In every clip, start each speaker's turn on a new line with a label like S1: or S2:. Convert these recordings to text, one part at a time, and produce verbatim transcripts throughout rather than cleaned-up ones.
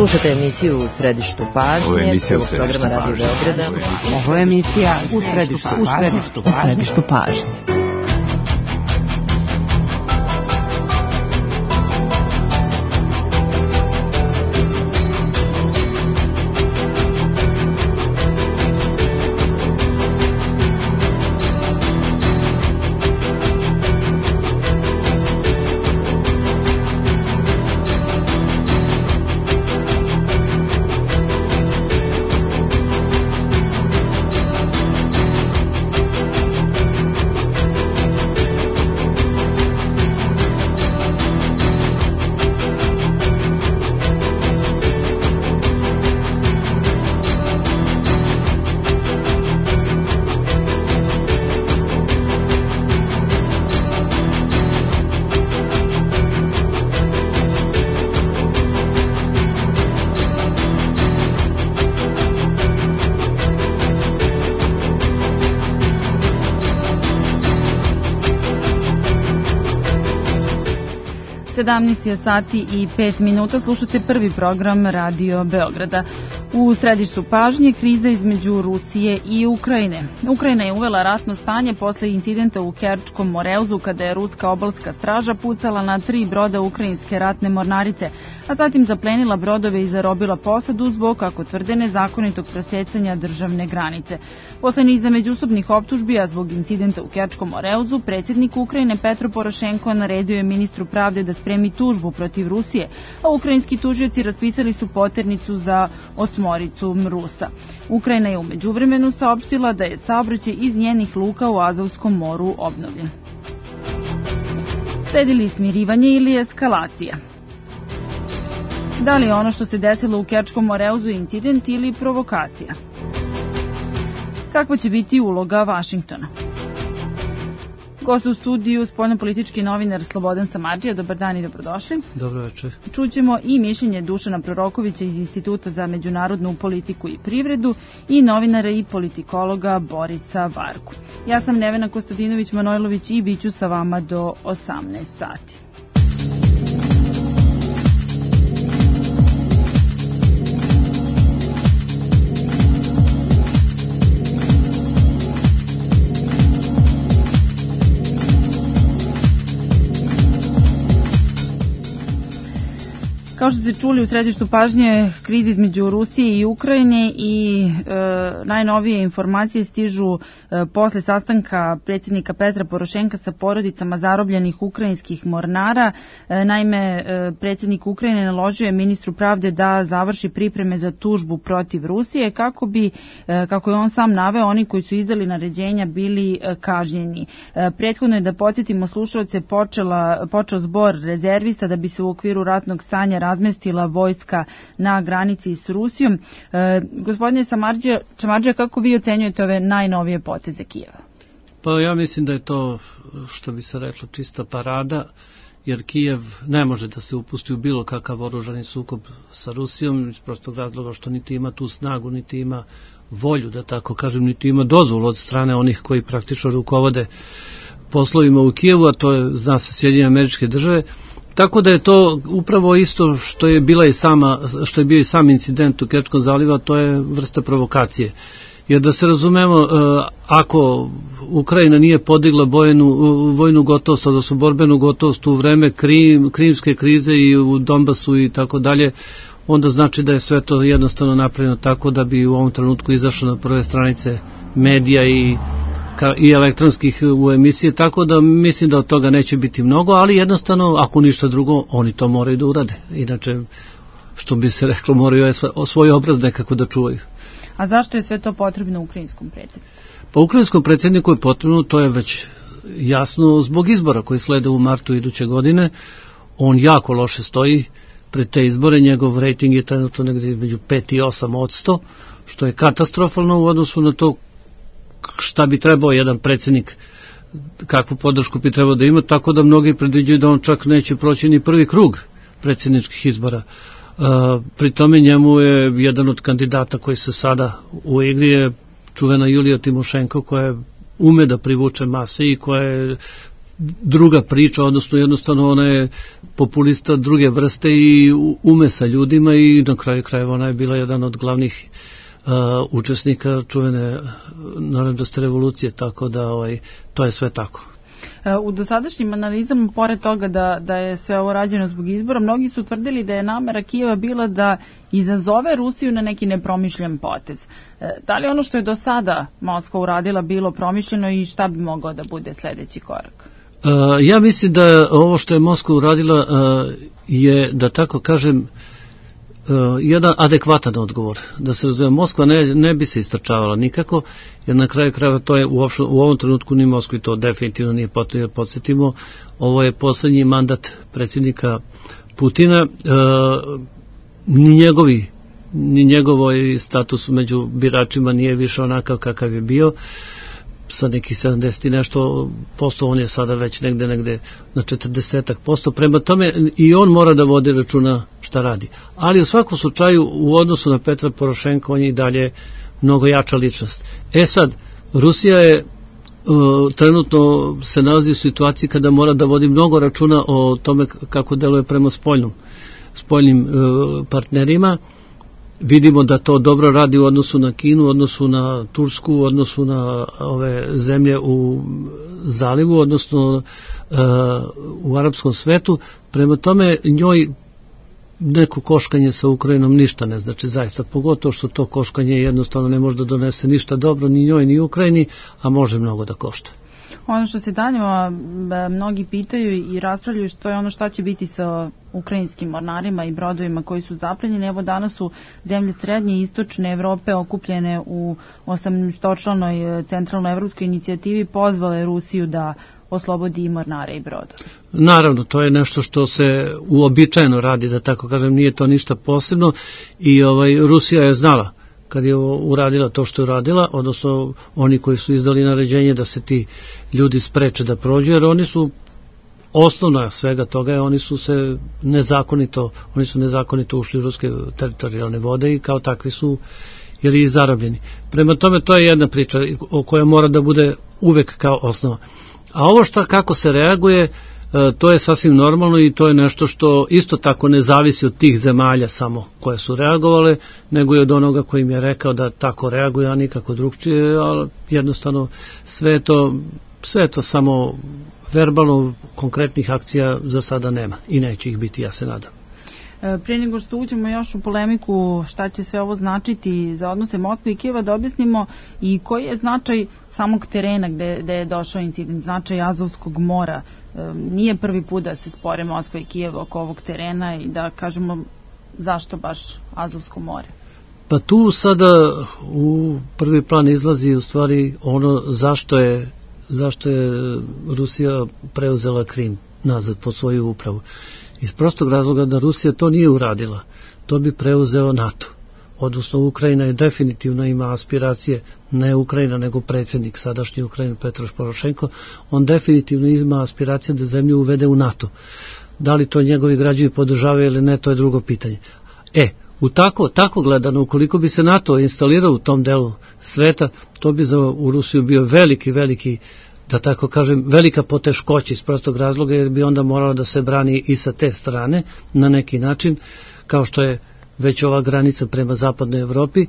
S1: Slušate emisiju U središtu pažnje.
S2: Ovo je emisija U središtu
S1: programa Radio Beograda.
S3: Ovo je emisija U središtu U središtu pažnje.
S4: sedamnaest je sati i pet minuta, slušate prvi program Radio Beograda. U središtu pažnje kriza između Rusije i Ukrajine. Ukrajina je uvela ratno stanje posle incidenta u Kerčkom moreuzu kada je ruska obalska straža pucala na tri broda ukrajinske ratne mornarice, a zatim zaplenila brodove i zarobila posadu zbog, kako tvrde, nezakonitog presecanja državne granice. Posle niza međusobnih optužbi, a zbog incidenta u Kerčkom moreuzu, predsjednik Ukrajine Petro Porošenko naredio je ministru pravde da spremi tužbu protiv Rusije, a ukrajinski tužioci raspisali su poternicu za osmoricu Rusa. Ukrajina je u međuvremenu saopštila da je saobraćaj iz njenih luka u Azovskom moru obnovljen. Sledi li smirivanje ili eskalacija? Da li je ono što se desilo u Kerčkom moreuzu incident ili provokacija? Kakva će biti uloga Vašingtona? Gost u studiju, spoljnopolitički novinar Slobodan Samardžija. Dobar dan i dobrodošli.
S5: Dobro večer.
S4: Čućemo i mišljenje Dušana Prorokovića iz Instituta za međunarodnu politiku i privredu i novinara i politikologa Borisa Varku. Ja sam Nevena Kostadinović-Manojlović i bit ću sa vama do osamnaest sati. Kao što ste čuli, u središtu pažnje kriza između Rusije i Ukrajine i e, najnovije informacije stižu e, posle sastanka predsjednika Petra Porošenka sa porodicama zarobljenih ukrajinskih mornara. E, naime, e, predsjednik Ukrajine naložio je ministru pravde da završi pripreme za tužbu protiv Rusije kako bi, e, kako je on sam naveo, oni koji su izdali naređenja bili e, kažnjeni. E, prethodno je, da podsjetimo slušalce, počela, počeo zbor rezervista da bi se u okviru ratnog stanja razmestila vojska na granici s Rusijom. E, gospodine Samardžija, kako vi ocenjujete ove najnovije poteze Kijeva?
S5: Pa ja mislim da je to, što bi se reklo, čista parada, jer Kijev ne može da se upusti u bilo kakav oružani sukob sa Rusijom, iz prostog razloga što niti ima tu snagu, niti ima volju, da tako kažem, niti ima dozvolu od strane onih koji praktično rukovode poslovima u Kijevu, a to je, zna se, Sjedinjene Američke Države. Tako da je to upravo isto što je bila i sama, što je bio i sam incident u Kerčkom zalivu, to je vrsta provokacije. Jer da se razumemo, ako Ukrajina nije podigla bojenu, vojnu gotovost, odnosno borbenu gotovost u vreme Krim, krimske krize i u Donbasu i tako dalje, onda znači da je sve to jednostavno napravljeno tako da bi u ovom trenutku izašlo na prve stranice medija i i elektronskih u emisije, tako da mislim da od toga neće biti mnogo, ali jednostavno, ako ništa drugo, oni to moraju da urade. Inače, što bi se reklo, moraju svoj obraz nekako da čuvaju.
S4: A zašto je sve to potrebno ukrajinskom predsjedniku?
S5: Pa ukrajinskom predsjedniku je potrebno, to je već jasno, zbog izbora koji slede u martu iduće godine. On jako loše stoji pred te izbore, njegov rejting je trenutno negdje među pet i osam odsto, što je katastrofalno u odnosu na to šta bi trebao jedan predsjednik, kakvu podršku bi trebao da ima, tako da mnogi predviđaju da on čak neće proći ni prvi krug predsjedničkih izbora. Pri tome njemu je jedan od kandidata koji se sada u igri je čuvena Julija Timošenko, koja ume da privuče mase i koja je druga priča, odnosno jednostavno ona je populista druge vrste i ume sa ljudima i na kraju krajeva ona je bila jedan od glavnih uh, učesnika čuvene narodnostne revolucije, tako da ovaj, to je sve tako.
S4: U dosadašnjim analizama, pored toga da, da je sve ovo rađeno zbog izbora, mnogi su tvrdili da je namera Kijeva bila da izazove Rusiju na neki nepromišljen potez. Da li ono što je do sada Moskva uradila bilo promišljeno i šta bi mogao da bude sledeći korak?
S5: Uh, ja mislim da ovo što je Moskva uradila uh, je, da tako kažem, Uh, jedan adekvatan odgovor. Da se razumije, Moskva ne, ne bi se istračavala nikako, jer na kraju krajeva to je uopšte, u ovom trenutku ni Moskvi to definitivno nije potrebno, jer podsjetimo, ovo je poslednji mandat predsjednika Putina, uh, ni njegovi ni njegovoj status među biračima nije više onakav kakav je bio, sa nekih sedamdeset i nešto posto, on je sada već negde, negde na četrdeset posto, prema tome i on mora da vodi računa šta radi. Ali u svakom slučaju u odnosu na Petra Porošenka on je i dalje mnogo jača ličnost. E sad, Rusija je uh, trenutno se nalazi u situaciji kada mora da vodi mnogo računa o tome kako deluje prema spoljnom, spoljnim uh, partnerima. Vidimo da to dobro radi u odnosu na Kinu, u odnosu na Tursku, u odnosu na ove zemlje u zalivu, odnosno uh, u arapskom svetu. Prema tome njoj neko koškanje sa Ukrajinom ništa ne znači zaista, pogotovo što to koškanje jednostavno ne može da donese ništa dobro ni njoj ni Ukrajini, a može mnogo da košta.
S4: Ono što se danjeva mnogi pitaju i raspravljaju što je ono šta će biti sa ukrajinskim mornarima i brodovima koji su zaplenjeni. Evo danas su zemlje srednje i istočne Evrope okupljene u osamnaestočlanoj centralnoevropskoj inicijativi pozvale Rusiju da oslobodi i mornare i brodove.
S5: Naravno, to je nešto što se uobičajeno radi, da tako kažem, nije to ništa posebno i ovaj, Rusija je znala kad je uradila to što je uradila, odnosno oni koji su izdali naređenje da se ti ljudi spreče da prođu, jer oni su osnovna svega toga je, oni su se nezakonito, oni su nezakonito ušli u ruske teritorijalne vode i kao takvi su ili zarobljeni. Prema tome to je jedna priča o kojoj mora da bude uvek kao osnova. A ovo šta kako se reaguje, to je sasvim normalno i to je nešto što isto tako ne zavisi od tih zemalja samo koje su reagovale, nego i od onoga koji im je rekao da tako reaguje, a nikako drugčije, ali jednostavno sve to, sve to samo verbalno konkretnih akcija za sada nema i neće ih biti, ja se nadam.
S4: Prije nego što uđemo još u polemiku šta će sve ovo značiti za odnose Moskve i Kijeva, da objasnimo i koji je značaj samog terena gde, gde je došao incident, značaj Azovskog mora. E, nije prvi put da se spore Moskva i Kijev oko ovog terena i da kažemo zašto baš Azovsko more.
S5: Pa tu sada u prvi plan izlazi u stvari ono zašto je, zašto je Rusija preuzela Krim nazad pod svoju upravu. Iz prostog razloga da Rusija to nije uradila, to bi preuzeo NATO. Odnosno Ukrajina je definitivno ima aspiracije, ne Ukrajina nego predsjednik sadašnji Ukrajine Petro Porošenko, on definitivno ima aspiracije da zemlju uvede u NATO. Da li to njegovi građani podržavaju ili ne, to je drugo pitanje. E, u tako, tako gledano, ukoliko bi se NATO instalirao u tom delu sveta, to bi za u Rusiju bio veliki, veliki, da tako kažem, velika poteškoća iz prostog razloga, jer bi onda morala da se brani i sa te strane na neki način, kao što je već ova granica prema zapadnoj Evropi.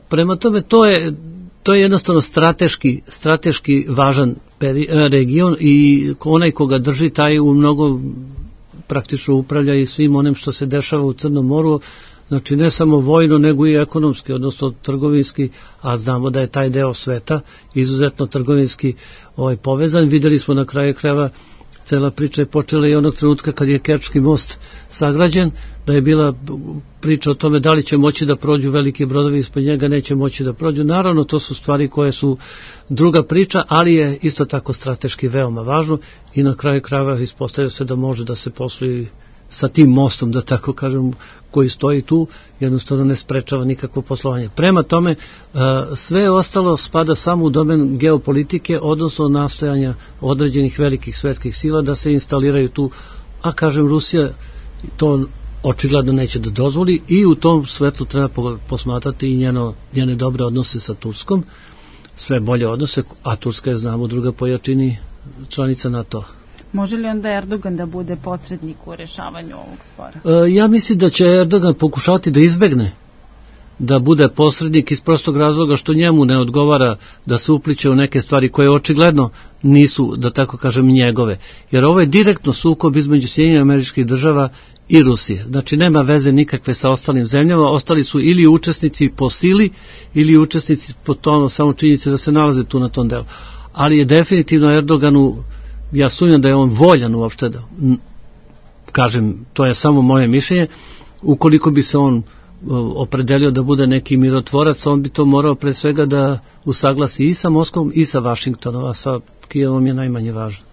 S5: Prema tome to je, to je jednostavno strateški, strateški važan peri, region i onaj koga drži taj u mnogo praktično upravlja i svim onim što se dešava u Crnom moru, znači ne samo vojno nego i ekonomski, odnosno trgovinski, a znamo da je taj deo sveta izuzetno trgovinski ovaj, povezan. Videli smo na kraju krajeva, cela priča je počela i onog trenutka kad je Kerčki most sagrađen, da je bila priča o tome da li će moći da prođu veliki brodovi ispod njega, neće moći da prođu. Naravno, to su stvari koje su druga priča, ali je isto tako strateški veoma važno i na kraju krajeva ispostavlja se da može da se posluje sa tim mostom, da tako kažem, koji stoji tu, jednostavno ne sprečava nikakvo poslovanje. Prema tome, sve ostalo spada samo u domen geopolitike, odnosno nastojanja određenih velikih svetskih sila da se instaliraju tu, a kažem, Rusija to očigledno neće da dozvoli i u tom svetlu treba posmatrati i njeno, njene dobre odnose sa Turskom, sve bolje odnose, a Turska je, znamo, druga po jačini članica NATO.
S4: Može li onda Erdogan da bude posrednik u rešavanju ovog spora?
S5: E, ja mislim da će Erdogan pokušati da izbegne da bude posrednik iz prostog razloga što njemu ne odgovara da se upliče u neke stvari koje očigledno nisu, da tako kažem, njegove. Jer ovo je direktno sukob između Sjedinjenih Američkih Država i Rusije. Znači nema veze nikakve sa ostalim zemljama, ostali su ili učesnici po sili ili učesnici po tomu samo činjenice da se nalaze tu na tom delu. Ali je definitivno Erdoganu, ja sumnjam da je on voljan uopšte da, kažem, to je samo moje mišljenje, ukoliko bi se on opredelio da bude neki mirotvorac, on bi to morao pre svega da usaglasi i sa Moskvom i sa Vašingtonom, a sa Kijevom je najmanje važno.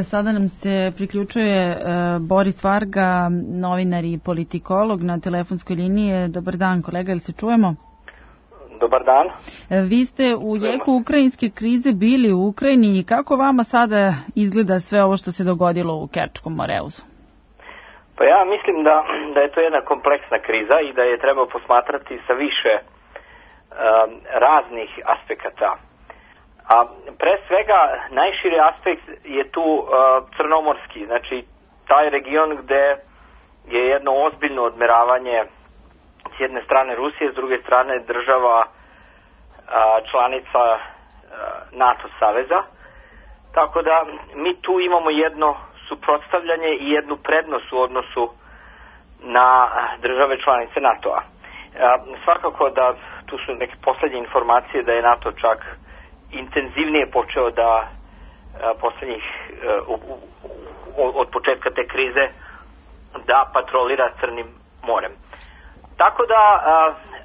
S4: Sada nam se priključuje Boris Varga, novinar i politikolog na telefonskoj liniji. Dobar dan, kolega, ili se čujemo?
S2: Dobar dan.
S4: Vi ste u jeku ukrajinske krize bili u Ukrajini i kako vama sada izgleda sve ovo što se dogodilo u Kerčkom moreuzu?
S2: Pa ja mislim da, da je to jedna kompleksna kriza i da je treba posmatrati sa više um, raznih aspekata. A pre svega najširi aspekt je tu uh, crnomorski, znači taj region gde je jedno ozbiljno odmeravanje s jedne strane Rusije, s druge strane država uh, članica uh, NATO saveza. Tako da mi tu imamo jedno suprotstavljanje i jednu prednost u odnosu na države članice NATO-a. Uh, svakako da tu su neke poslednje informacije da je NATO čak intenzivnije počeo da poslednjih od početka te krize da patrolira Crnim morem. Tako da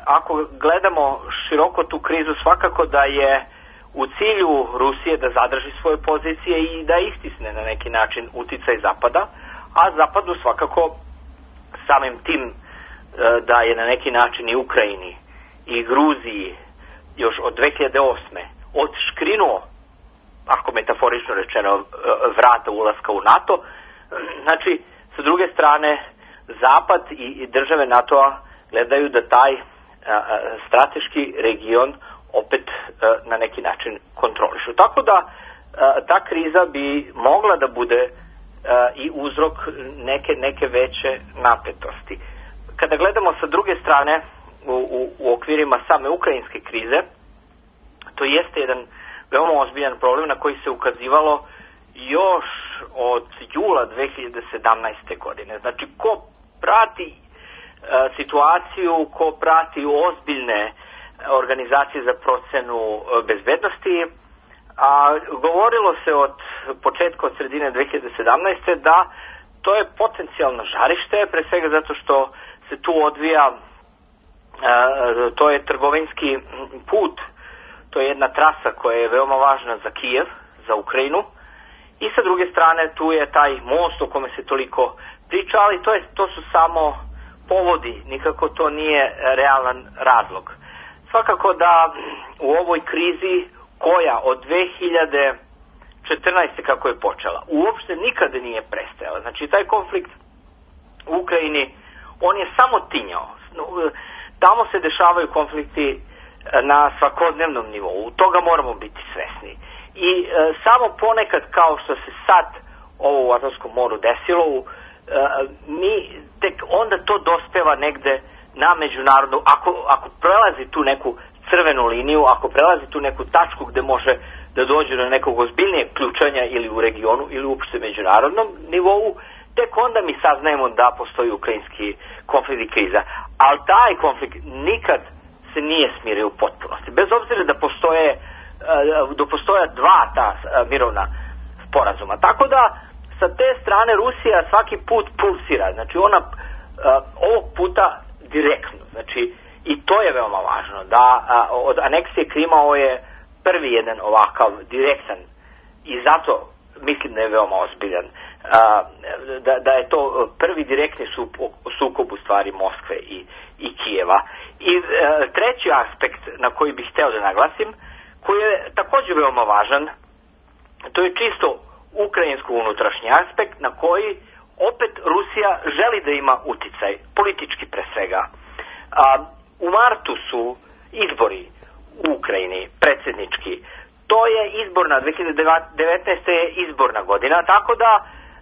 S2: ako gledamo široko tu krizu, svakako da je u cilju Rusije da zadrži svoje pozicije i da istisne na neki način uticaj Zapada, a Zapadu svakako samim tim da je na neki način i Ukrajini i Gruziji još od dve hiljade osme odškrinuo, ako metaforično rečeno, vrata ulaska u NATO. Znači, sa druge strane, Zapad i države NATO-a gledaju da taj a, a, strateški region opet a, na neki način kontrolišu. Tako da a, ta kriza bi mogla da bude a, i uzrok neke, neke veće napetosti. Kada gledamo sa druge strane u, u, u okvirima same ukrajinske krize, to jeste jedan veoma ozbiljan problem na koji se ukazivalo još od jula dve hiljade sedamnaeste. godine. Znači, ko prati e, situaciju, ko prati ozbiljne organizacije za procenu e, bezbednosti, a govorilo se od početka, od sredine dve hiljade sedamnaeste. da to je potencijalno žarište, pre svega zato što se tu odvija, e, to je trgovinski put. To je jedna trasa koja je veoma važna za Kijev, za Ukrajinu. I sa druge strane tu je taj most o kome se toliko priča, ali to, je, to su samo povodi, nikako to nije realan razlog. Svakako da u ovoj krizi koja od dve hiljade četrnaeste. kako je počela, uopšte nikada nije prestajala. Znači taj konflikt u Ukrajini, on je samo tinjao. Tamo se dešavaju konflikti na svakodnevnom nivou, toga moramo biti svesni. I e, samo ponekad, kao što se sad ovo u Azovskom moru desilo, e, mi tek onda to dospeva negde na međunarodnu, ako, ako prelazi tu neku crvenu liniju, ako prelazi tu neku tačku gde može da dođe do nekog ozbiljnijeg ključanja ili u regionu ili uopšte međunarodnom nivou, tek onda mi saznajemo da postoji ukrajinski konflikt i kriza. Ali taj konflikt nikad se nije smirio u potpunosti. Bez obzira da postoje, da postoje dva ta mirovna sporazuma. Tako da, sa te strane Rusija svaki put pulsira. Znači, ona ovog puta direktno. Znači, i to je veoma važno. Da od aneksije Krima ovo je prvi jedan ovakav direktan i zato mislim da je veoma ozbiljan. Da, da je to prvi direktni sukob u stvari Moskve i, i Kijeva. I e, treći aspekt na koji bih hteo da naglasim, koji je također veoma važan, to je čisto ukrajinsko-unutrašnji aspekt na koji opet Rusija želi da ima uticaj, politički pre svega. A, u martu su izbori u Ukrajini, predsjednički. to je izborna, dve hiljade devetnaeste. je izborna godina, tako da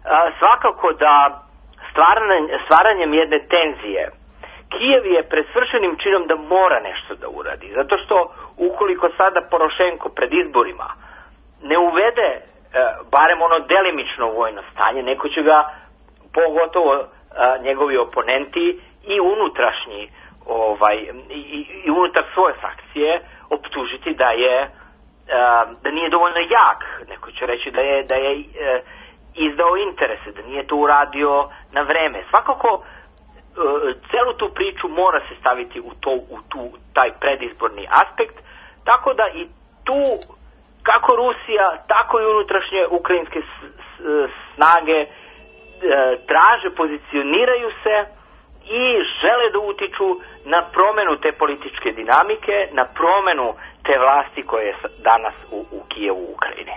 S2: a, svakako da stvaranje, stvaranjem jedne tenzije Kijev je pred svršenim činom da mora nešto da uradi, zato što ukoliko sada Porošenko pred izborima ne uvede a, barem ono delimično vojno stanje, neko će ga, pogotovo a, njegovi oponenti i unutrašnji ovaj, i, i unutar svoje frakcije optužiti da je da nije dovoljno jak, neko će reći da je, da je e, izdao interese, da nije to uradio na vreme. Svakako e, celu tu priču mora se staviti u, to, u tu, taj predizborni aspekt, tako da i tu kako Rusija, tako i unutrašnje ukrajinske s, s, snage e, traže, pozicioniraju se i žele da utiču na promenu te političke dinamike, na promenu te vlasti koje je danas u, u Kijevu, u Ukrajini.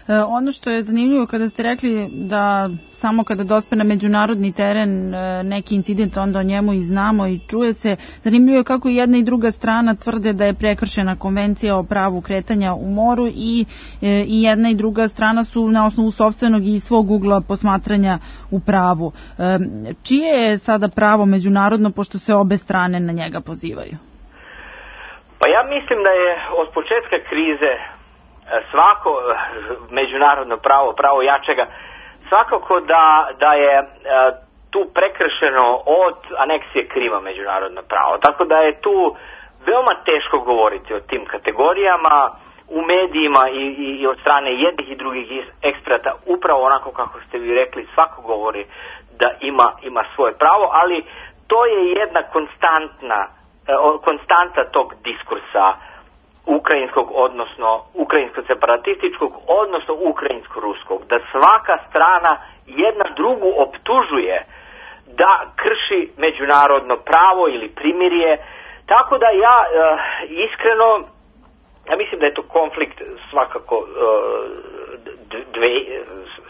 S4: E, ono što je zanimljivo kada ste rekli da samo kada dospe na međunarodni teren e, neki incident, onda o njemu i znamo i čuje se. Zanimljivo je kako i jedna i druga strana tvrde da je prekršena konvencija o pravu kretanja u moru i, e, i jedna i druga strana su na osnovu sopstvenog i svog ugla posmatranja u pravu. E, čije je sada pravo međunarodno, pošto se obe strane na njega pozivaju?
S2: Pa ja mislim da je od početka krize svako međunarodno pravo, pravo jačega, svakako da, da je tu prekršeno od aneksije Krima međunarodno pravo. Tako da je tu veoma teško govoriti o tim kategorijama u medijima i, i, i od strane jednih i drugih eksperata, upravo onako kako ste vi rekli, svako govori da ima, ima svoje pravo, ali to je jedna konstantna konstanta tog diskursa ukrajinskog, odnosno ukrajinsko-separatističkog, odnosno ukrajinsko-ruskog, da svaka strana jedna drugu optužuje da krši međunarodno pravo ili primirje. Tako da ja e, iskreno, ja mislim da je to konflikt svakako e, dve,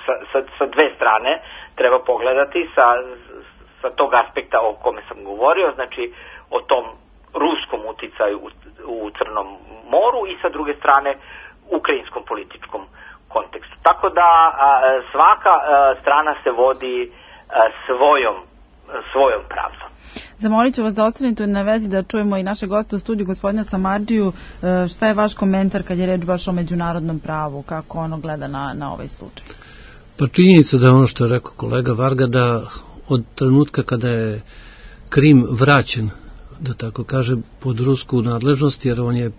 S2: sa, sa, sa dve strane treba pogledati sa, sa tog aspekta o kome sam govorio, znači o tom ruskom uticaju u, u Crnom moru i sa druge strane ukrajinskom političkom kontekstu. Tako da a, svaka a, strana se vodi a, svojom, svojom pravdom.
S4: Zamolit ću vas da ostanete na vezi da čujemo i naše goste u studiju, gospodina Samardžiju. Šta je vaš komentar kad je reč baš o međunarodnom pravu, kako ono gleda na, na ovaj slučaj?
S5: Pa činjenica da je ono što je rekao kolega Varga, da od trenutka kada je Krim vraćen, da tako kaže, pod rusku nadležnost, jer on je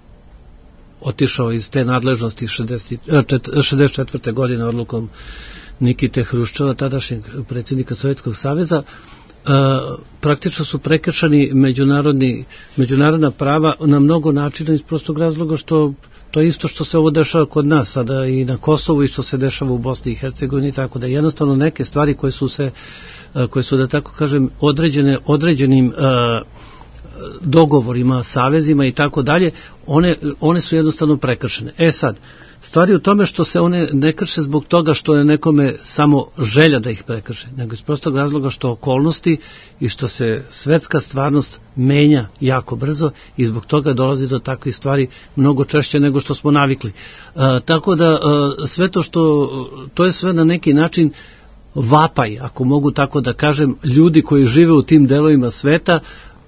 S5: otišao iz te nadležnosti šezdeset četvrte godine odlukom Nikite Hruščova, tadašnjeg predsjednika Sovjetskog saveza, praktično su prekršeni međunarodni, međunarodna prava na mnogo načina iz prostog razloga što to je isto što se ovo dešava kod nas sada i na Kosovu i što se dešava u Bosni i Hercegovini, tako da jednostavno neke stvari koje su se, koje su da tako kažem određene određenim uh, dogovorima, savezima i tako dalje, one, one su jednostavno prekršene. E sad, stvari u tome što se one ne krše zbog toga što je nekome samo želja da ih prekrše, nego iz prostog razloga što okolnosti i što se svetska stvarnost menja jako brzo i zbog toga dolazi do takvih stvari mnogo češće nego što smo navikli. E, tako da e, sve to što, to je sve na neki način vapaj, ako mogu tako da kažem, ljudi koji žive u tim delovima sveta,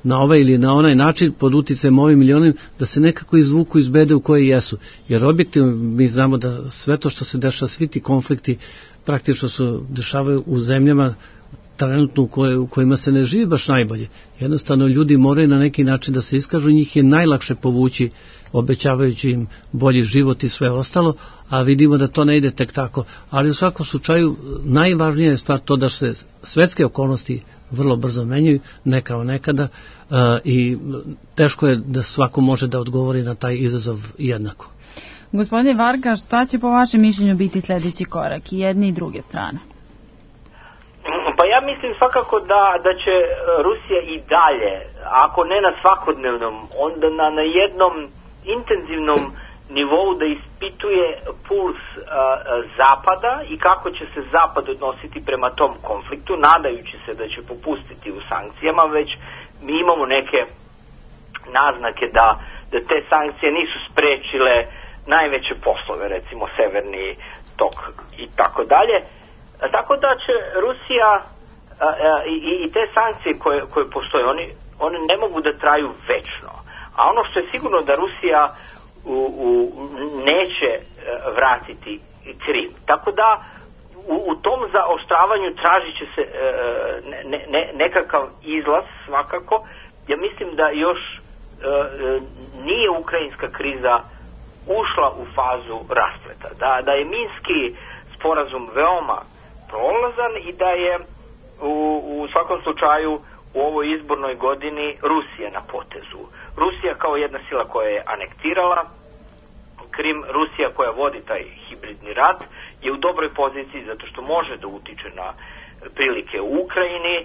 S5: na ovaj ili na onaj način, pod uticajem ovim ili onim, da se nekako izvuku iz bede u koje jesu. Jer objektivno mi znamo da sve to što se dešava, svi ti konflikti praktično se dešavaju u zemljama trenutno u, koje, u kojima se ne živi baš najbolje. Jednostavno ljudi moraju na neki način da se iskažu, njih je najlakše povući obećavajući im bolji život i sve ostalo, a vidimo da to ne ide tek tako. Ali u svakom slučaju najvažnija je stvar to da se svetske okolnosti vrlo brzo menjaju, ne kao nekada, uh, i teško je da svako može da odgovori na taj izazov jednako.
S4: Gospodine Varga, šta će po vašem mišljenju biti sljedeći korak i jedne i druge strane?
S2: Pa ja mislim svakako da, da će Rusija i dalje, ako ne na svakodnevnom, onda na, na jednom intenzivnom nivou da ispituje puls a, a, Zapada i kako će se Zapad odnositi prema tom konfliktu, nadajući se da će popustiti u sankcijama, već mi imamo neke naznake da, da te sankcije nisu sprečile najveće poslove, recimo Severni tok i tako dalje. Tako da će Rusija a, a, i, i te sankcije koje, koje postoje, oni, oni ne mogu da traju večno. A ono što je sigurno da Rusija u, u, neće vratiti Krim. Tako da u, u tom zaoštravanju tražit će se ne, ne, nekakav izlaz svakako. Ja mislim da još nije ukrajinska kriza ušla u fazu raspleta. Da, da je Minski sporazum veoma prolazan i da je u, u svakom slučaju u ovoj izbornoj godini Rusija na potezu. Rusija kao jedna sila koja je anektirala Krim, Rusija koja vodi taj hibridni rat, je u dobroj poziciji zato što može da utiče na prilike u Ukrajini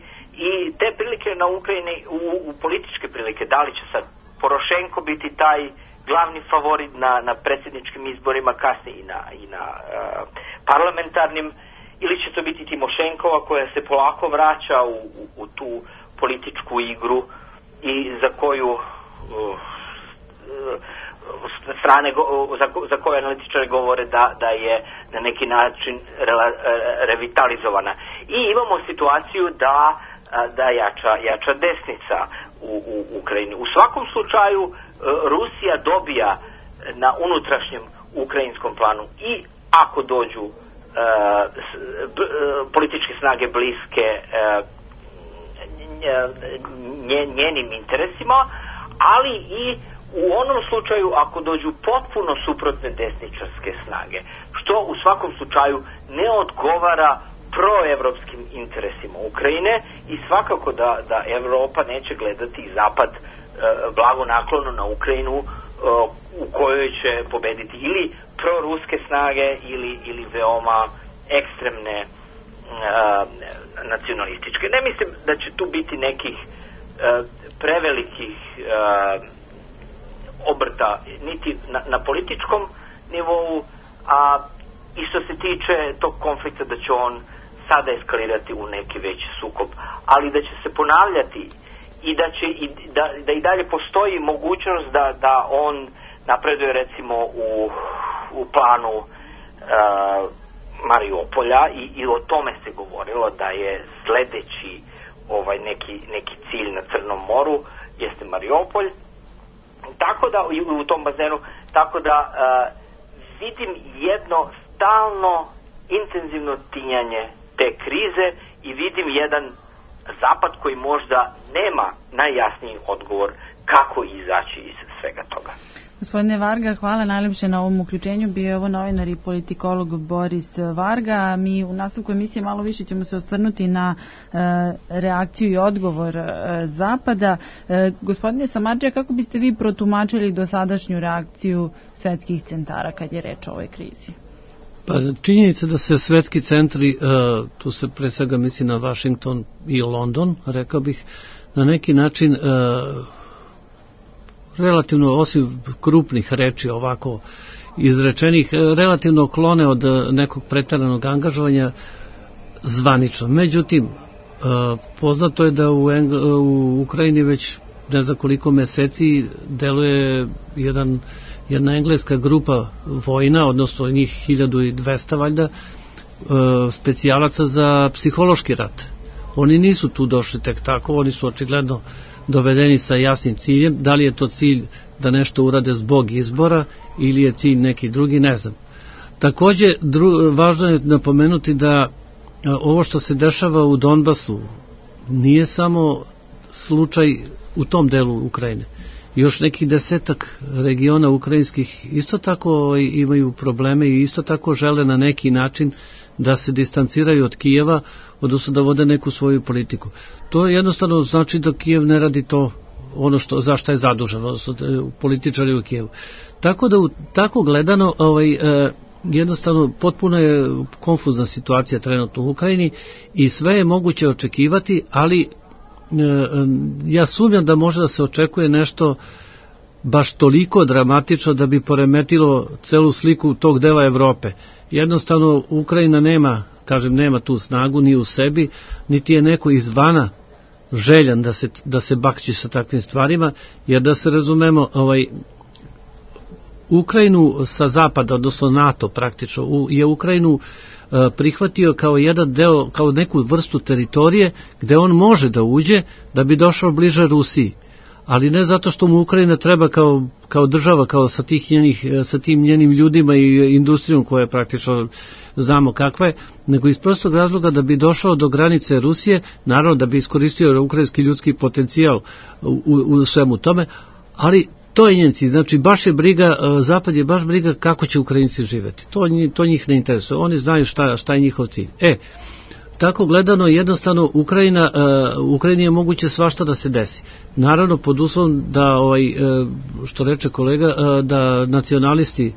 S2: i te prilike na Ukrajini, u, u političke prilike, da li će sad Porošenko biti taj glavni favorit na, na predsjedničkim izborima, kasnije i na, i na uh, parlamentarnim, ili će to biti Timošenkova koja se polako vraća u, u, u tu političku igru i za koju uh, strane za, za koje analitičari govore da, da je na neki način rela, revitalizovana. I imamo situaciju da, da jača, jača desnica u, u Ukrajini. U svakom slučaju Rusija dobija na unutrašnjem ukrajinskom planu i ako dođu uh, političke snage bliske uh, njenim interesima, ali i u onom slučaju ako dođu potpuno suprotne desničarske snage, što u svakom slučaju ne odgovara proevropskim interesima Ukrajine i svakako da, da Evropa neće gledati i Zapad e, blago naklono na Ukrajinu e, u kojoj će pobediti ili proruske snage ili, ili veoma ekstremne e, nacionalističke. Ne mislim da će tu biti nekih e, prevelikih e, obrta niti na, na političkom nivou, a i što se tiče tog konflikta da će on sada eskalirati u neki veći sukob, ali da će se ponavljati i da će i, da, da i dalje postoji mogućnost da, da on napreduje recimo u, u planu uh, Mariupolja i, i o tome se govorilo da je sledeći ovaj neki, neki cilj na Crnom moru jeste Mariupolj. Tako da u tom bazenu, tako da uh, vidim jedno stalno intenzivno tinjanje te krize i vidim jedan Zapad koji možda nema najjasniji odgovor kako izaći iz svega toga.
S4: Gospodine Varga, hvala najlepše na ovom uključenju. Bio je ovo novinar i politikolog Boris Varga. Mi u nastavku emisije malo više ćemo se osvrnuti na e, reakciju i odgovor e, Zapada. E, gospodine Samardžija, kako biste vi protumačili dosadašnju reakciju svetskih centara kad je reč o ovoj krizi?
S5: Pa činjenica da se svetski centri, e, tu se pre svega misli na Washington i London, rekao bih, na neki način e, relativno, osim krupnih reči ovako izrečenih, relativno klone od nekog preteranog angažovanja zvanično. Međutim, poznato je da u, Engl u Ukrajini već ne znam koliko meseci deluje jedan, jedna engleska grupa vojna, odnosno njih hiljadu dvesta valjda, specijalaca za psihološki rat. Oni nisu tu došli tek tako, oni su očigledno dovedeni sa jasnim ciljem. Da li je to cilj da nešto urade zbog izbora ili je cilj neki drugi, ne znam. Takođe, dru, važno je napomenuti da ovo što se dešava u Donbasu nije samo slučaj u tom delu Ukrajine. Još nekih desetak regiona ukrajinskih isto tako imaju probleme i isto tako žele na neki način da se distanciraju od Kijeva, odnosno da vode neku svoju politiku. To jednostavno znači da Kijev ne radi to ono što, za šta je zadužen, odnosno političari u Kijevu. Tako da u, tako gledano ovaj, e, jednostavno potpuno je konfuzna situacija trenutno u Ukrajini i sve je moguće očekivati, ali e, ja sumnjam da može da se očekuje nešto baš toliko dramatično da bi poremetilo celu sliku tog dela Evrope. Jednostavno Ukrajina nema, kažem, nema tu snagu ni u sebi, niti je neko izvana željan da se, da se bakći sa takvim stvarima, jer da se razumemo, ovaj, Ukrajinu sa zapada, odnosno NATO praktično, je Ukrajinu prihvatio kao jedan deo, kao neku vrstu teritorije gde on može da uđe da bi došao bliže Rusiji. Ali ne zato što mu Ukrajina treba kao, kao država, kao sa, tih njenih, sa tim njenim ljudima i industrijom koja je praktično znamo kakva je, nego iz prostog razloga da bi došao do granice Rusije, naravno da bi iskoristio ukrajinski ljudski potencijal u, u, u svemu tome, ali to je njen cilj. Znači, baš je briga, Zapad je baš briga kako će Ukrajinci živeti. To, to njih ne interesuje. Oni znaju šta, šta je njihov cilj. E, tako gledano, jednostavno, Ukrajina, uh, Ukrajini je moguće svašta da se desi. Naravno, pod uslovom da, ovaj, uh, što reče kolega, uh, da nacionalisti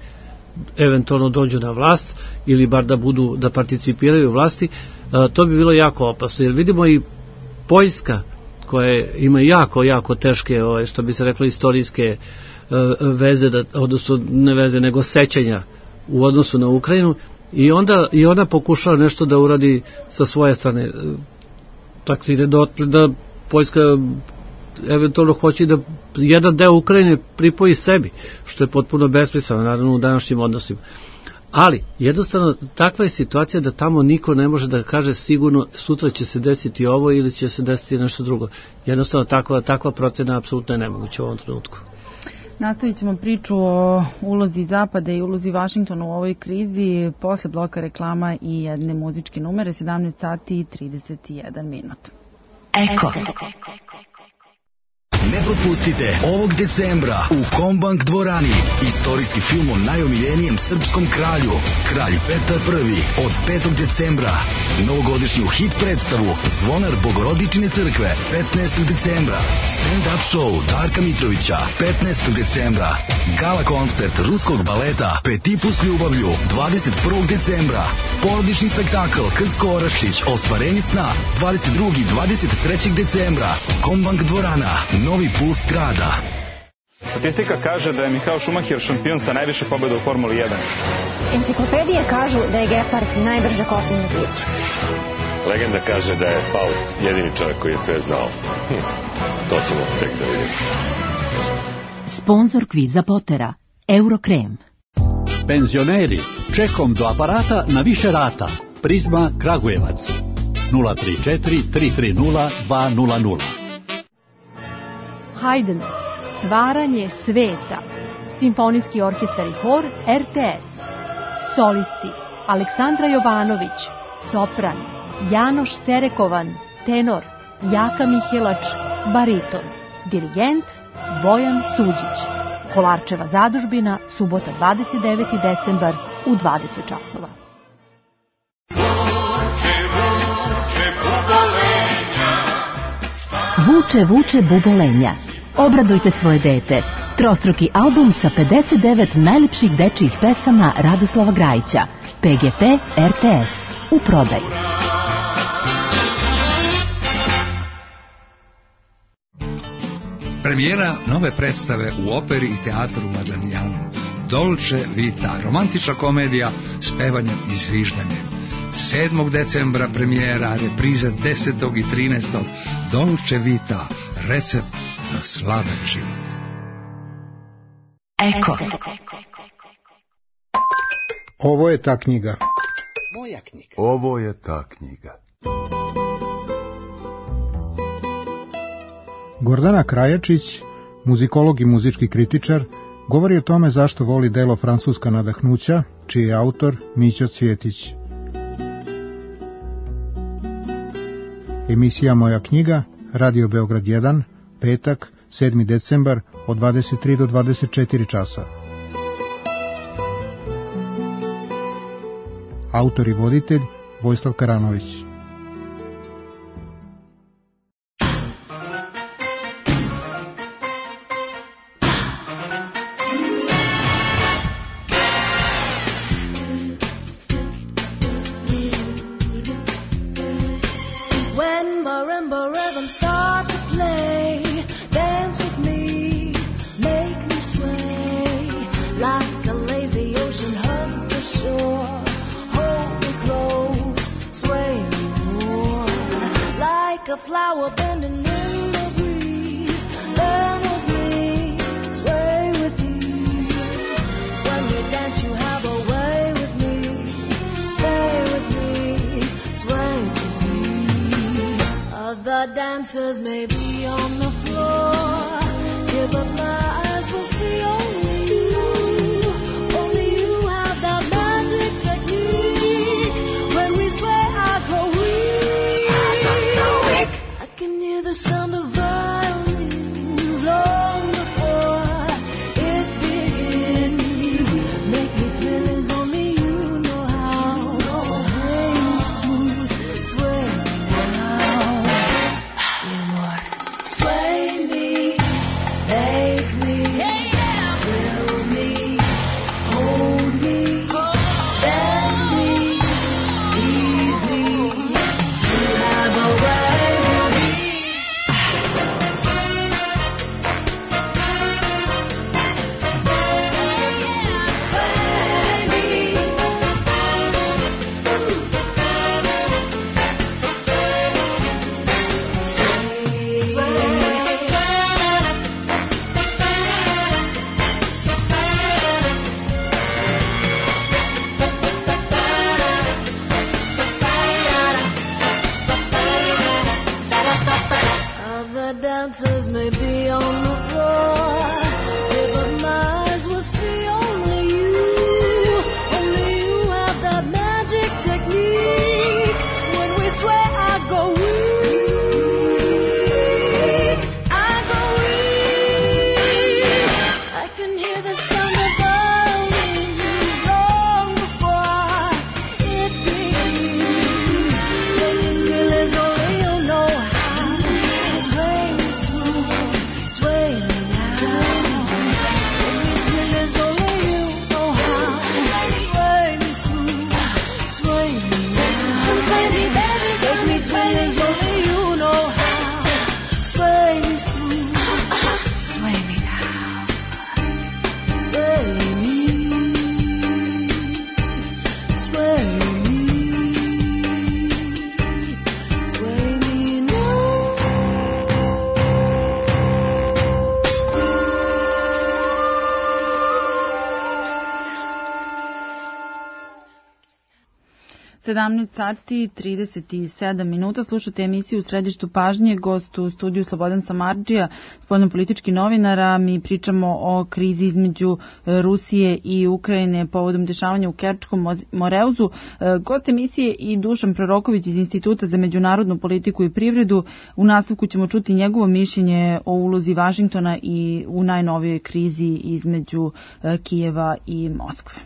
S5: eventualno dođu na vlast ili bar da budu, da participiraju u vlasti, uh, to bi bilo jako opasno. Jer vidimo i Poljska, koja ima jako, jako teške, ovaj, što bi se reklo, istorijske uh, veze, da, odnosno ne veze, nego sećanja u odnosu na Ukrajinu, i onda i ona pokušava nešto da uradi sa svoje strane. Tako se ide do, da Poljska eventualno hoće da jedan deo Ukrajine pripoji sebi, što je potpuno besmisleno, naravno, u današnjim odnosima. Ali, jednostavno, takva je situacija da tamo niko ne može da kaže sigurno sutra će se desiti ovo ili će se desiti nešto drugo. Jednostavno, takva, takva procena apsolutno je nemoguća u ovom trenutku.
S4: Nastavit ćemo priču o ulozi Zapada i ulozi Vašingtona u ovoj krizi posle bloka reklama i jedne muzičke numere, sedamnaest sati i trideset jedan minut.
S6: Eko. Ne propustite ovog decembra u Kombank dvorani istorijski film o najomiljenijem srpskom kralju, Kralj Petar Prvi, od petog decembra. Novogodišnju hit predstavu Zvonar Bogorodične crkve petnaestog decembra. Stand-up show Darka Mitrovića petnaestog decembra. Gala koncert ruskog baleta Petipu s ljubavlju dvadeset prvog decembra. Porodični spektakl Krcko Orašić Ostvarenje sna dvadeset drugog i dvadeset trećeg decembra. Kombank dvorana, novi puls grada.
S7: Statistika kaže da je Michael Schumacher šampion sa najviše pobjeda u Formuli jedan.
S8: Enciklopedije kažu da je Gepard najbrže kopneno biće.
S9: Legenda kaže da je Faust jedini čovjek koji je sve znao. Hm, to ćemo tek da vidimo.
S10: Sponzor kviza Potera, Eurokrem.
S11: Penzioneri, čekom do aparata na više rata. Prizma Kragujevac. nula tri četiri tri tri nula dva nula nula.
S12: Haydn, Stvaranje sveta, Simfonijski orkestar i hor R T S. Solisti, Aleksandra Jovanović, sopran, Janoš Serekovan, tenor, Jaka Mihelač, bariton, dirigent, Bojan Suđić. Kolarčeva zadužbina, subota dvadeset deveti decembar u dvadeset časova.
S10: Vuče, vuče bubolenja. Obradujte svoje dete. Trostruki album sa pedeset devet najlepših dečijih pesama Radoslava Grajića. P G P R T S. U prodaju.
S13: Premijera nove predstave u operi i teatru Madigliano. Dolce Vita, romantična komedija s pevanjem i zviždanjem. sedmog decembra premijera, repriza desetog i trinaestog Dolce Vita, recept za slaven život.
S10: Eko.
S14: Ovo je ta knjiga.
S15: Moja knjiga.
S16: Ovo je ta knjiga.
S14: Gordana Krajačić, muzikolog i muzički kritičar, govori o tome zašto voli delo Francuska nadahnuća, čiji je autor Mićo Cvjetić. Emisija Moja knjiga, Radio Beograd jedan, petak, sedmi decembar, od dvadeset tri do dvadeset četiri časa. Autor i voditelj Vojislav Karanović.
S15: Other dancers may be on the floor, yeah, but my eyes will see only you. Only you have that magic technique. When we sway, I go weak. I can hear the sound of violins long before it begins. Make me thrill as only you know how. Sway me smooth, sway me now. Yeah, more. Sway me, make me, thrill me, hold me, bend me, ease me. You have a way with me. Other dancers may be on the floor, yeah, but my eyes will see only you. Only you have that magic technique. When we sway, I go weak. I go weak. I can hear the sound of violins long before it begins. When you feel as only you know how. Sway me smooth, sway me now. When you feel as only you know how. Sway me smooth, sway me now. Sway me, baby, make me sway as only you know how. Sway me smooth, sway me now. Sway me, sway me, sway me now.
S4: sedamnaest sati trideset sedam minuta. Slušate emisiju U središtu pažnje. Gost u studiju Slobodan Samardžija, spoljnopolitički novinara. Mi pričamo o krizi između Rusije i Ukrajine povodom dešavanja u Kerčkom Moreuzu. Gost emisije i Dušan Proroković iz Instituta za međunarodnu politiku i privredu. U nastavku ćemo čuti njegovo mišljenje o ulozi Vašingtona i u najnovijoj krizi između Kijeva i Moskve.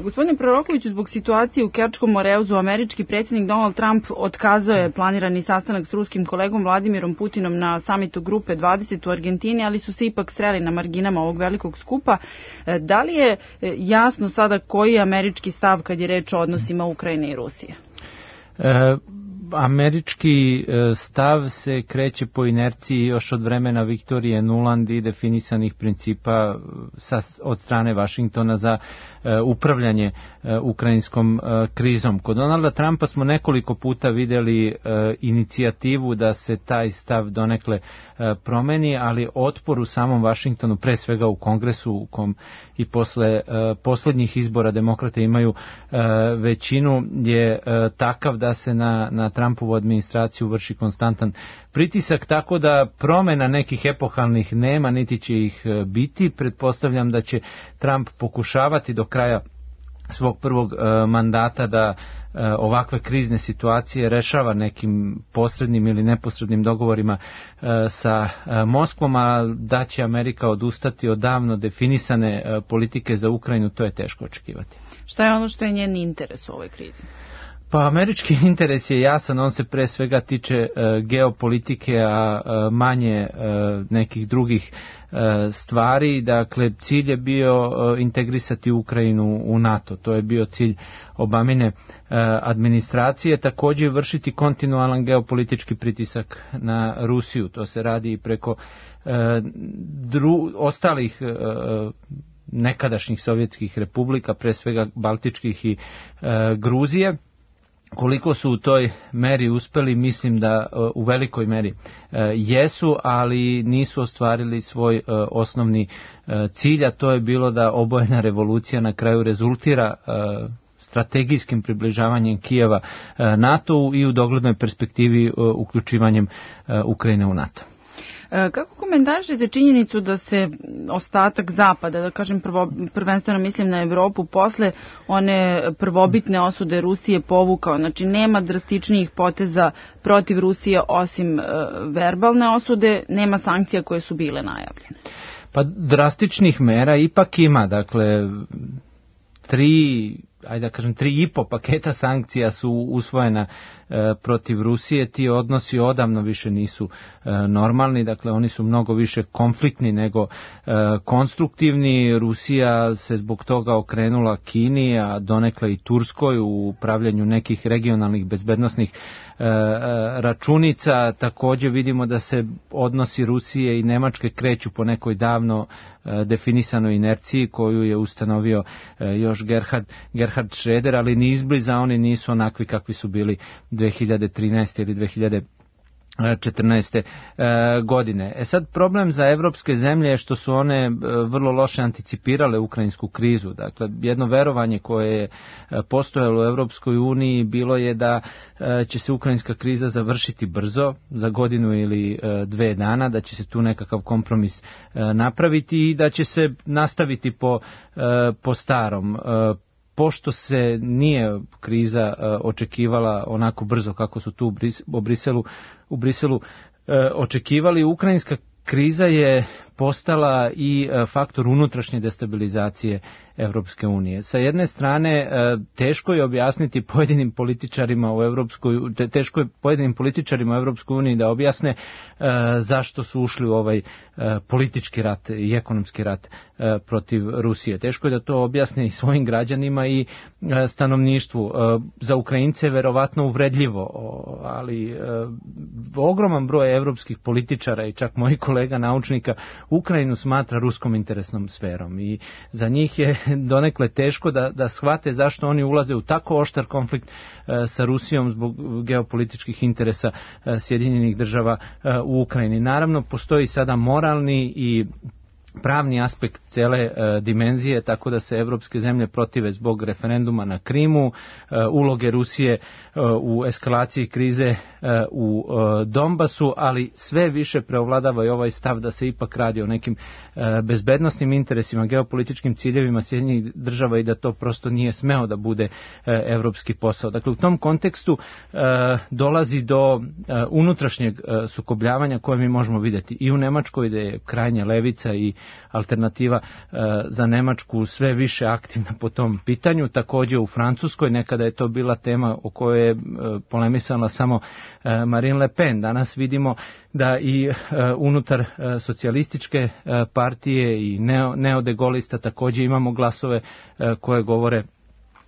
S4: Gospodine Prorokoviću, zbog situacije u Kerčkom Moreuzu, američki predsjednik Donald Trump otkazao je planirani sastanak s ruskim kolegom Vladimirom Putinom na samitu Grupe dvadeset u Argentini, ali su se ipak sreli na marginama ovog velikog skupa. Da li je jasno sada koji je američki stav kad je reč o odnosima Ukrajine i Rusije?
S17: E, američki stav se kreće po inerciji još od vremena Viktorije Nuland i definisanih principa sa, od strane Vašingtona za e, upravljanje e, ukrajinskom e, krizom. Kod Donalda Trumpa smo nekoliko puta vidjeli e, inicijativu da se taj stav donekle e, promeni, ali otpor u samom Vašingtonu, pre svega u Kongresu, u kom i posle e, posljednjih izbora demokrate imaju e, većinu, je e, takav da se na, na Trumpovu administraciju vrši konstantan pritisak, tako da promjena nekih epohalnih nema, niti će ih biti. Pretpostavljam da će Trump pokušavati do kraja svog prvog e, mandata da e, ovakve krizne situacije rešava nekim posrednim ili neposrednim dogovorima e, sa e, Moskvom, a da će Amerika odustati od davno definisane e, politike za Ukrajinu, to je teško očekivati.
S4: Šta je ono što je njen interes u ovoj krizi?
S17: Pa američki interes je jasan, on se pre svega tiče e, geopolitike, a e, manje e, nekih drugih e, stvari. Dakle, cilj je bio e, integrisati Ukrajinu u NATO, to je bio cilj Obamine e, administracije, također vršiti kontinualan geopolitički pritisak na Rusiju, to se radi i preko e, dru, ostalih e, nekadašnjih sovjetskih republika, pre svega Baltičkih i e, Gruzije. Koliko su u toj meri uspeli, mislim da u velikoj meri jesu, ali nisu ostvarili svoj osnovni cilj, a to je bilo da obojena revolucija na kraju rezultira strategijskim približavanjem Kijeva NATO-u i u doglednoj perspektivi uključivanjem Ukrajine u NATO.
S4: Kako komentarišete činjenicu da se ostatak Zapada, da kažem prvo, prvenstveno mislim na Evropu, posle one prvobitne osude Rusije povukao? Znači nema drastičnijih poteza protiv Rusije osim e, verbalne osude, nema sankcija koje su bile najavljene.
S17: Pa drastičnih mera ipak ima, dakle tri, ajde da kažem, tri i po paketa sankcija su usvojena e, protiv Rusije. Ti odnosi odavno više nisu e, normalni, dakle oni su mnogo više konfliktni nego e, konstruktivni. Rusija se zbog toga okrenula Kini, a donekle i Turskoj u upravljanju nekih regionalnih bezbednosnih e, računica. Također vidimo da se odnosi Rusije i Nemačke kreću po nekoj davno e, definisanoj inerciji koju je ustanovio e, još Gerhard, Gerhard Schröder, ali ni izbliza oni nisu onakvi kakvi su bili dve hiljade trinaeste ili dve hiljade četrnaeste godine. E sad, problem za evropske zemlje je što su one vrlo loše anticipirale ukrajinsku krizu. Dakle, jedno verovanje koje je postojalo u Evropskoj uniji bilo je da će se ukrajinska kriza završiti brzo, za godinu ili dve dana, da će se tu nekakav kompromis napraviti i da će se nastaviti po, po starom. Pošto se nije kriza očekivala onako brzo kako su tu u, Bris, u Briselu, u Briselu očekivali, ukrajinska kriza je postala i faktor unutrašnje destabilizacije Evropske unije. Sa jedne strane, teško je objasniti pojedinim političarima u Evropskoj, teško je pojedinim političarima u Evropskoj uniji da objasne zašto su ušli u ovaj politički rat i ekonomski rat protiv Rusije. Teško je da to objasne i svojim građanima i stanovništvu. Za Ukrajince je verovatno uvredljivo, ali ogroman broj evropskih političara i čak mojih kolega naučnika Ukrajinu smatra ruskom interesnom sferom i za njih je donekle teško da, da shvate zašto oni ulaze u tako oštar konflikt e, sa Rusijom zbog geopolitičkih interesa e, Sjedinjenih država e, u Ukrajini. Naravno, postoji sada moralni i pravni aspekt cele e, dimenzije, tako da se evropske zemlje protive zbog referenduma na Krimu, e, uloge Rusije e, u eskalaciji krize e, u e, Donbasu, ali sve više preovladava i ovaj stav da se ipak radi o nekim e, bezbednosnim interesima, geopolitičkim ciljevima Sjedinjenih država i da to prosto nije smeo da bude e, evropski posao. Dakle, u tom kontekstu e, dolazi do e, unutrašnjeg e, sukobljavanja koje mi možemo vidjeti i u Nemačkoj, gde je krajnja levica i alternativa e, za Nemačku sve više aktivna po tom pitanju. Također u Francuskoj, nekada je to bila tema o kojoj je e, polemisala samo e, Marine Le Pen. Danas vidimo da i e, unutar e, socijalističke e, partije i neo, neodegolista također imamo glasove e, koje govore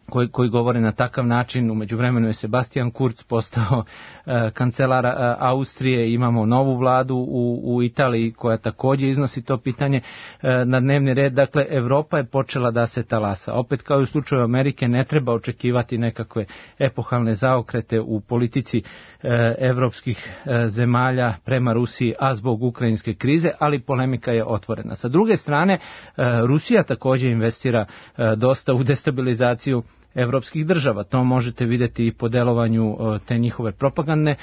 S17: Koji, koji govore na takav način. U međuvremenu je Sebastian Kurz postao e, kancelar e, Austrije, imamo novu vladu u, u Italiji koja također iznosi to pitanje e, na dnevni red. Dakle, Evropa je počela da se talasa. Opet kao i u slučaju Amerike, ne treba očekivati nekakve epohalne zaokrete u politici e, evropskih e, zemalja prema Rusiji, a zbog ukrajinske krize, ali polemika je otvorena. Sa druge strane, e, Rusija također investira e, dosta u destabilizaciju evropskih država. To možete vidjeti i po delovanju te njihove propagandne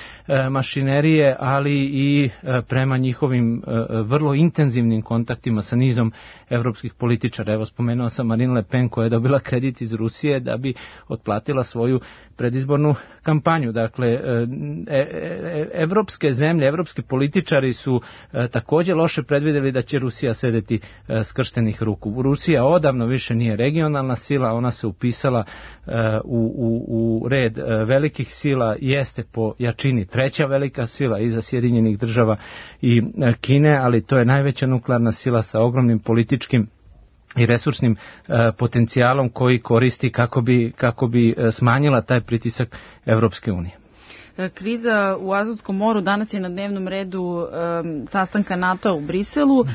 S17: mašinerije, ali i prema njihovim vrlo intenzivnim kontaktima sa nizom evropskih političara. Evo, spomenuo sam Marine Le Pen koja je dobila kredit iz Rusije da bi otplatila svoju predizbornu kampanju. Dakle, evropske zemlje, evropski političari su također loše predvidjeli da će Rusija sedeti skrštenih ruku. Rusija odavno više nije regionalna sila, ona se upisala U, u, u red velikih sila, jeste po jačini treća velika sila iza Sjedinjenih država i Kine, ali to je najveća nuklearna sila sa ogromnim političkim i resursnim e, potencijalom koji koristi kako bi, kako bi smanjila taj pritisak Evropske unije.
S4: Kriza u Azovskom moru danas je na dnevnom redu um, sastanka NATO u Briselu. Uh,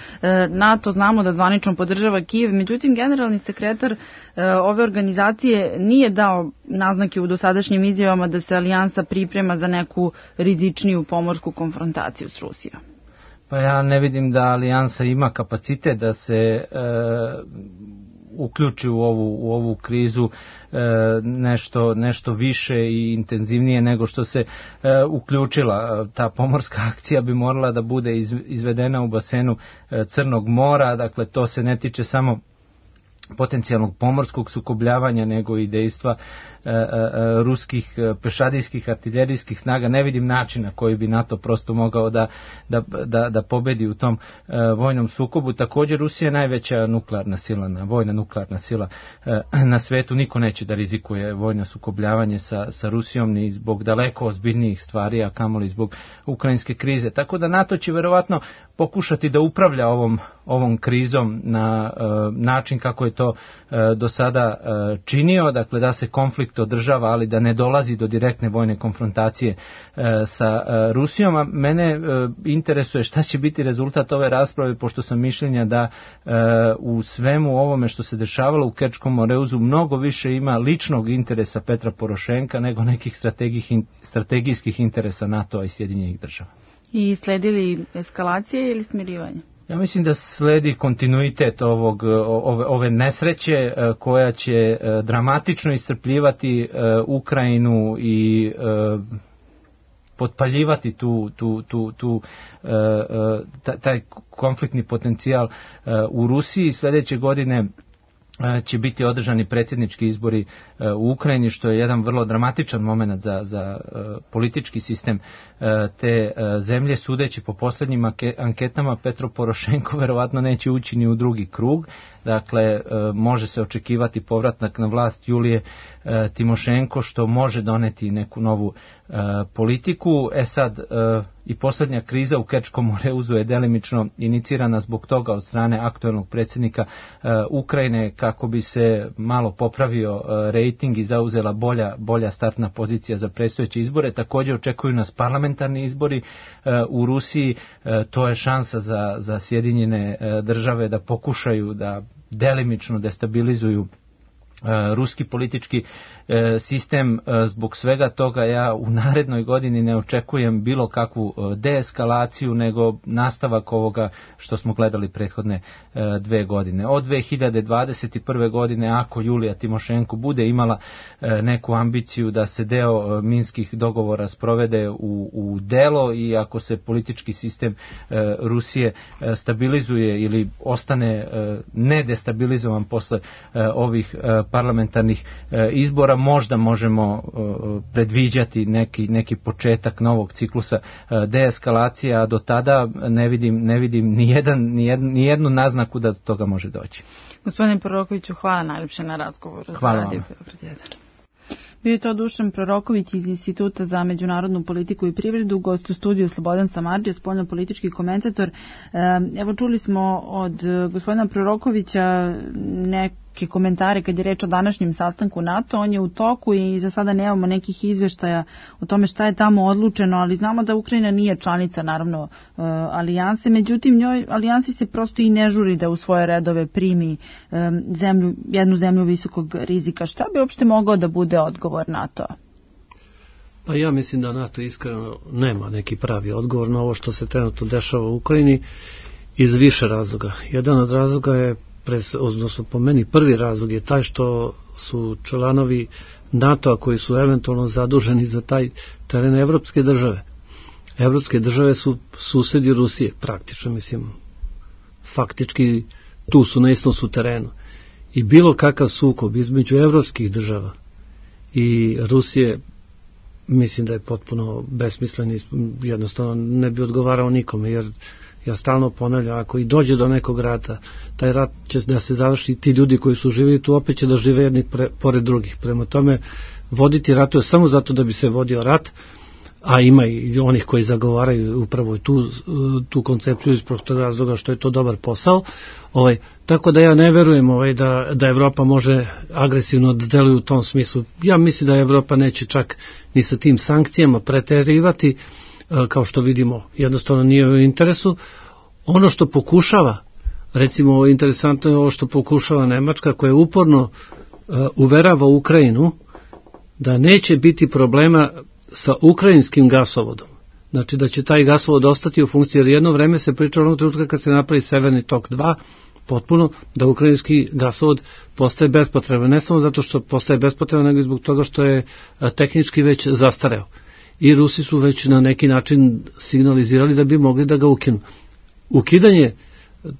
S4: NATO znamo da zvanično podržava Kijev, međutim generalni sekretar uh, ove organizacije nije dao naznake u dosadašnjim izjavama da se alijansa priprema za neku rizičniju pomorsku konfrontaciju s Rusijom.
S17: Pa ja ne vidim da alijansa ima kapacitet da se uh, uključi u ovu, u ovu krizu e, nešto, nešto više i intenzivnije nego što se e, uključila. Ta pomorska akcija bi morala da bude iz, izvedena u basenu e, Crnog mora, dakle to se ne tiče samo potencijalnog pomorskog sukobljavanja, nego i dejstva e, e, ruskih pešadijskih artiljerijskih snaga. Ne vidim načina koji bi NATO prosto mogao da, da, da, da pobedi u tom e, vojnom sukobu. Također Rusija je najveća nuklearna sila, na, vojna nuklearna sila e, na svetu. Niko neće da rizikuje vojno sukobljavanje sa, sa Rusijom ni zbog daleko ozbiljnijih stvari, a kamoli zbog ukrajinske krize. Tako da NATO će verovatno pokušati da upravlja ovom, ovom krizom na e, način kako je to e, do sada e, činio, dakle da se konflikt održava, ali da ne dolazi do direktne vojne konfrontacije e, sa e, Rusijom. A mene e, interesuje šta će biti rezultat ove rasprave, pošto sam mišljenja da e, u svemu ovome što se dešavalo u Kerčkom moreuzu mnogo više ima ličnog interesa Petra Porošenka nego nekih strategijskih interesa NATO-a i Sjedinjenih država.
S4: I sledili eskalacije ili smirivanje?
S17: Ja mislim da sledi kontinuitet ovog, ove, ove nesreće koja će dramatično iscrpljivati Ukrajinu i potpaljivati tu, tu, tu, tu, taj konfliktni potencijal u Rusiji. Sljedeće godine će biti održani predsjednički izbori u Ukrajini, što je jedan vrlo dramatičan moment za, za politički sistem te zemlje. Sudeći po posljednjim anketama, Petro Porošenko verovatno neće ući ni u drugi krug. Dakle, može se očekivati povratak na vlast Julije Timošenko, što može doneti neku novu politiku. E sad, i posljednja kriza u Kerčkom moreuzu je delimično inicirana zbog toga od strane aktuelnog predsjednika Ukrajine, kako bi se malo popravio rejting i zauzela bolja, bolja startna pozicija za predstojeće izbore. Također očekuju nas parlamentarni izbori u Rusiji. To je šansa za, za Sjedinjene države da pokušaju da delimično destabilizuju ruski politički sistem. Zbog svega toga ja u narednoj godini ne očekujem bilo kakvu deeskalaciju, nego nastavak ovoga što smo gledali prethodne dve godine. Od dve hiljade dvadeset prve godine, ako Julija Timošenko bude imala neku ambiciju da se deo minskih dogovora sprovede u, u delo i ako se politički sistem Rusije stabilizuje ili ostane nedestabilizovan posle ovih parlamentarnih izbora, možda možemo predviđati neki, neki početak novog ciklusa deeskalacije, a do tada ne vidim, ne vidim ni, jedan, ni, jednu, ni jednu naznaku da do toga može doći.
S4: Gospodine Prorokoviću, hvala najljepše na razgovoru.
S17: Hvala vam.
S4: Bio je to Dušan Proroković iz Instituta za međunarodnu politiku i privredu, gost u studiju Slobodan Samardžija, spoljnopolitički komentator. Evo, čuli smo od gospodina Prorokovića neke komentare kad je reč o današnjem sastanku NATO. On je u toku i za sada nemamo nekih izveštaja o tome šta je tamo odlučeno, ali znamo da Ukrajina nije članica, naravno, alijanse. Međutim, njoj alijansi se prosto i ne žuri da u svoje redove primi zemlju, jednu zemlju visokog rizika. Šta bi uopšte mogao da bude odgovor NATO-a?
S5: Pa ja mislim da NATO iskreno nema neki pravi odgovor na ovo što se trenutno dešava u Ukrajini iz više razloga. Jedan od razloga je, odnosno po meni prvi razlog je taj što su članovi NATO-a koji su eventualno zaduženi za taj teren evropske države. Evropske države su susedi Rusije praktično, mislim, faktički tu su na istom su terenu. I bilo kakav sukob između evropskih država i Rusije, mislim da je potpuno besmislen i jednostavno ne bi odgovarao nikome, jer ja stalno ponavljam, ako i dođe do nekog rata, taj rat će da se završi, ti ljudi koji su živjeli tu opet će da žive jedni pre, pored drugih. Prema tome, voditi ratuje samo zato da bi se vodio rat, a ima i onih koji zagovaraju upravo tu, tu koncepciju iz prostog razloga što je to dobar posao. Ovaj, tako da ja ne verujem ovaj, da, da Evropa može agresivno da deluje u tom smislu. Ja mislim da Evropa neće čak ni sa tim sankcijama preterivati, kao što vidimo, jednostavno nije u interesu. Ono što pokušava, recimo interesantno je ovo što pokušava Nemačka, koja uporno uh, uverava Ukrajinu da neće biti problema sa ukrajinskim gasovodom. Znači da će taj gasovod ostati u funkciji, jer jedno vreme se pričalo onog trenutka kad se napravi Severni tok dva, potpuno da ukrajinski gasovod postaje bespotreban. Ne samo zato što postaje bespotreban, nego i zbog toga što je tehnički već zastareo. I Rusi su već na neki način signalizirali da bi mogli da ga ukinu. Ukidanje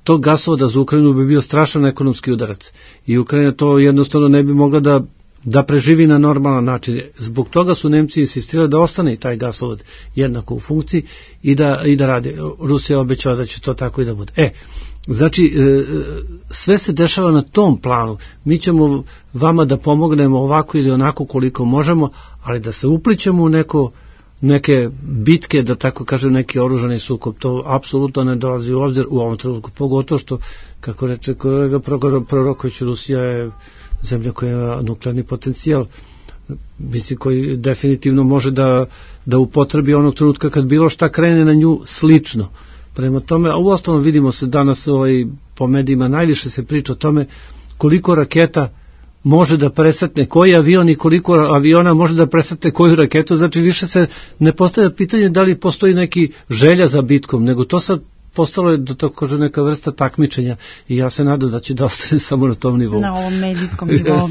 S5: tog gasovoda za Ukrajinu bi bio strašan ekonomski udarac. I Ukrajina to jednostavno ne bi mogla da da preživi na normalan način. Zbog toga su Nemci insistirali da ostane i taj gasovod jednako u funkciji i da, i da radi. Rusija obećala da će to tako i da bude. E, znači, sve se dešava na tom planu. Mi ćemo vama da pomognemo ovako ili onako koliko možemo, ali da se uplićemo u neko neke bitke, da tako kažem, neki oružani sukob, to apsolutno ne dolazi u obzir u ovom trenutku, pogotovo što, kako reče kolega Proroković, Rusija je zemlja koja ima nuklearni potencijal, mislim, koji definitivno može da, da upotrebi onog trenutka kad bilo šta krene na nju slično. Prema tome, a u ostalom vidimo se danas ovaj, po medijima najviše se priča o tome koliko raketa može da presretne koji avion i koliko aviona može da presretne koju raketu, znači više se ne postavlja pitanje da li postoji neki želja za bitkom, nego to sad postalo je, da tako kaže, neka vrsta takmičenja i ja se nadam da će da ostane samo na tom nivou.
S4: Na ovom medijskom nivou.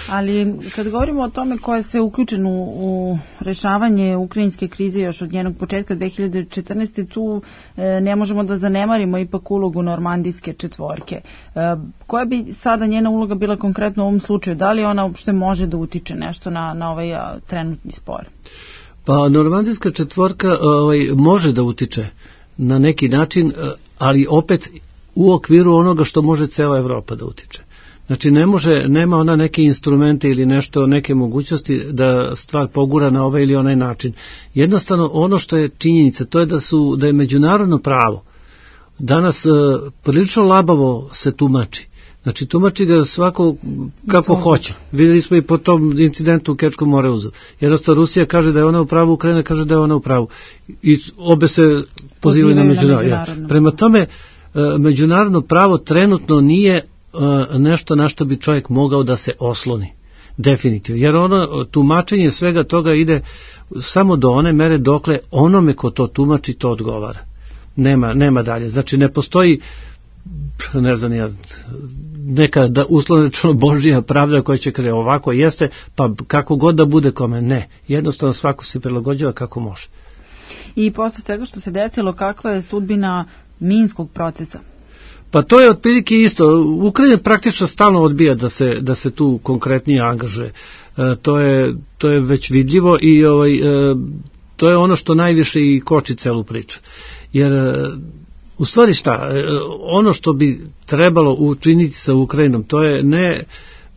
S4: Ali kad govorimo o tome ko je sve uključen u, u rešavanje ukrajinske krize još od njenog početka dve hiljade četrnaeste. tu e, ne možemo da zanemarimo ipak ulogu normandijske četvorke. E, koja bi sada njena uloga bila konkretno u ovom slučaju? Da li ona uopšte može da utiče nešto na, na ovaj a, trenutni spor?
S5: Pa normandijska četvorka ovaj, može da utiče na neki način, ali opet u okviru onoga što može cela Evropa da utiče. Znači ne može, nema ona neke instrumente ili nešto, neke mogućnosti da stvar pogura na ovaj ili onaj način. Jednostavno ono što je činjenica, to je da su da je međunarodno pravo danas uh, prilično labavo se tumači. Znači tumači ga svako kako hoće. Videli smo i po tom incidentu u Kerčkom moreuzu. Jednostavno Rusija kaže da je ona u pravu, Ukrajina kaže da je ona u pravu. I obe se pozivaju na međunarodno. Ja. Prema tome, međunarodno pravo trenutno nije nešto na što bi čovjek mogao da se osloni. Definitivno. Jer ono tumačenje svega toga ide samo do one mere dokle onome ko to tumači to odgovara. Nema, nema dalje. Znači ne postoji ne znam ja, neka da uslovno rečeno Božja pravda koja će krenuti ovako jeste, pa kako god da bude kome, ne. Jednostavno svako se prilagođava kako može.
S4: I posle svega što se desilo, kakva je sudbina minskog procesa?
S5: Pa to je otprilike isto. Ukrajina praktično stalno odbija da se, da se tu konkretnije angažuje. E, to, je, to je već vidljivo i ovaj, e, to je ono što najviše i koči celu priču. Jer e, u stvari šta, ono što bi trebalo učiniti sa Ukrajinom, to je ne